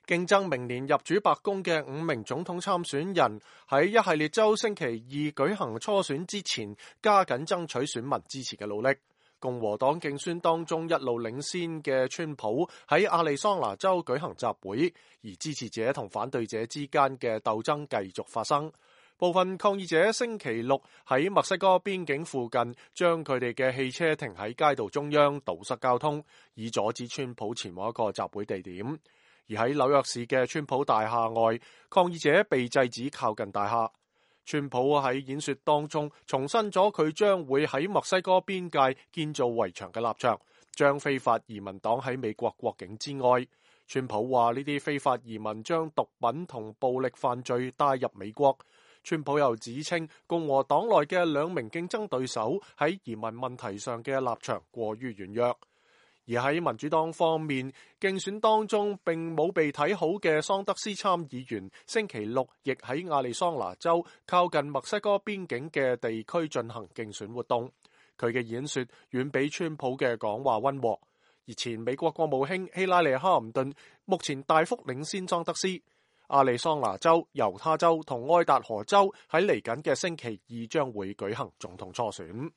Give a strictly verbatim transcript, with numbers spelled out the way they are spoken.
競爭明年入主白宮嘅五名總統參選人喺一系列州星期二舉行初選之前，加緊爭取選民支持嘅努力。共和黨競選當中一路領先嘅川普喺亞利桑那州舉行集會，而支持者同反對者之間嘅鬥爭繼續發生。部分抗議者星期六喺墨西哥邊境附近將佢哋嘅汽車停喺街道中央，堵塞交通，以阻止川普前往一個集會地點。而喺紐約市嘅川普大廈外，抗議者被制止靠近大廈。川普喺演說當中重申咗佢將會喺墨西哥邊界建造圍牆嘅立場，將非法移民擋喺美國國境之外。川普話呢啲非法移民將毒品同暴力犯罪帶入美國。川普又指稱共和黨內嘅兩名競爭對手喺移民問題上嘅立場過於軟弱。而喺民主黨方面，競選當中並冇被睇好嘅桑德斯參議員星期六亦喺亞利桑那州靠近墨西哥邊境嘅地區進行競選活動。佢嘅演說遠比川普嘅講話溫和。而前美國國務卿希拉里哈姆頓目前大幅領先桑德斯。亞利桑那州、猶他州同愛達荷州喺嚟緊嘅星期二將會舉行總統初選。